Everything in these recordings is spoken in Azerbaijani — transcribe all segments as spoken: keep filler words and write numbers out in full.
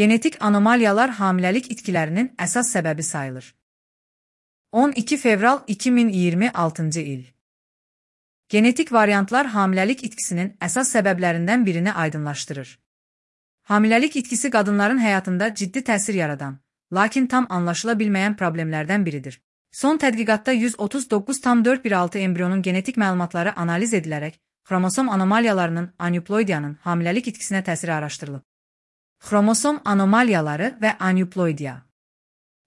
Genetik anomaliyalar hamiləlik itkilərinin əsas səbəbi sayılır. on iki fevral iki min iyirmi altıncı il. Genetik variantlar hamiləlik itkisinin əsas səbəblərindən birini aydınlaşdırır. Hamiləlik itkisi qadınların həyatında ciddi təsir yaradan, lakin tam anlaşıla bilməyən problemlərdən biridir. Son tədqiqatda yüz otuz doqquz tam dörd bir altı embrionun genetik məlumatları analiz edilərək, xromosom anomaliyalarının aneuploidiyanın hamiləlik itkisinə təsiri araşdırılıb. Xromosom anomaliyaları və aneuploidiya.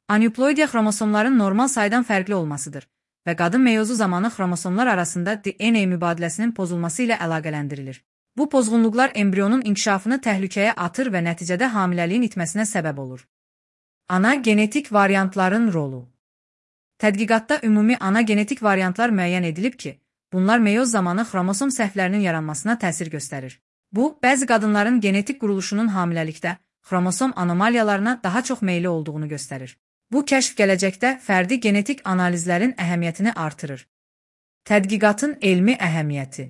Aneuploidiya xromosomların normal saydan fərqli olmasıdır və qadın meyozu zamanı xromosomlar arasında D N A mübadiləsinin pozulması ilə əlaqələndirilir. Bu pozğunluqlar embrionun inkişafını təhlükəyə atır və nəticədə hamiləliyin itməsinə səbəb olur. Ana genetik variantların rolu. Tədqiqatda ümumi ana genetik variantlar müəyyən edilib ki, bunlar meyoz zamanı xromosom səhvlərinin yaranmasına təsir göstərir. Bu, bəzi qadınların genetik quruluşunun hamiləlikdə xromosom anomaliyalarına daha çox meyli olduğunu göstərir. Bu kəşf gələcəkdə fərdi genetik analizlərin əhəmiyyətini artırır. Tədqiqatın elmi əhəmiyyəti.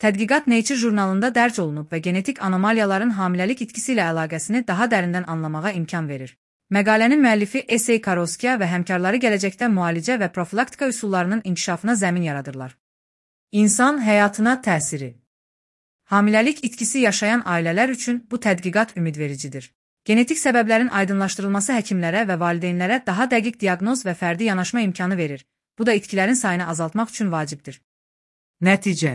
Tədqiqat Nature jurnalında dərc olunub və genetik anomaliyaların hamiləlik itkisi ilə əlaqəsini daha dərindən anlamağa imkan verir. Məqalənin müəllifi S A Karoskiya və həmkarları gələcəkdə müalicə və profilaktika üsullarının inkişafına zəmin yaradırlar. İnsan həyatına təsiri. Hamiləlik itkisi yaşayan ailələr üçün bu tədqiqat ümidvericidir. Genetik səbəblərin aydınlaşdırılması həkimlərə və valideynlərə daha dəqiq diaqnoz və fərdi yanaşma imkanı verir. Bu da itkilərin sayını azaltmaq üçün vacibdir. Nəticə.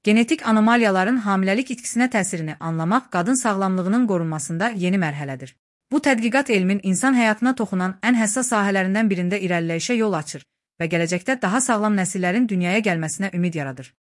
Genetik anomaliyaların hamiləlik itkisinə təsirini anlamaq qadın sağlamlığının qorunmasında yeni mərhələdir. Bu tədqiqat elmin insan həyatına toxunan ən həssas sahələrindən birində irəliləyişə yol açır və gələcəkdə daha sağlam nəsillərin dünyaya gəlməsinə ümid yaradır.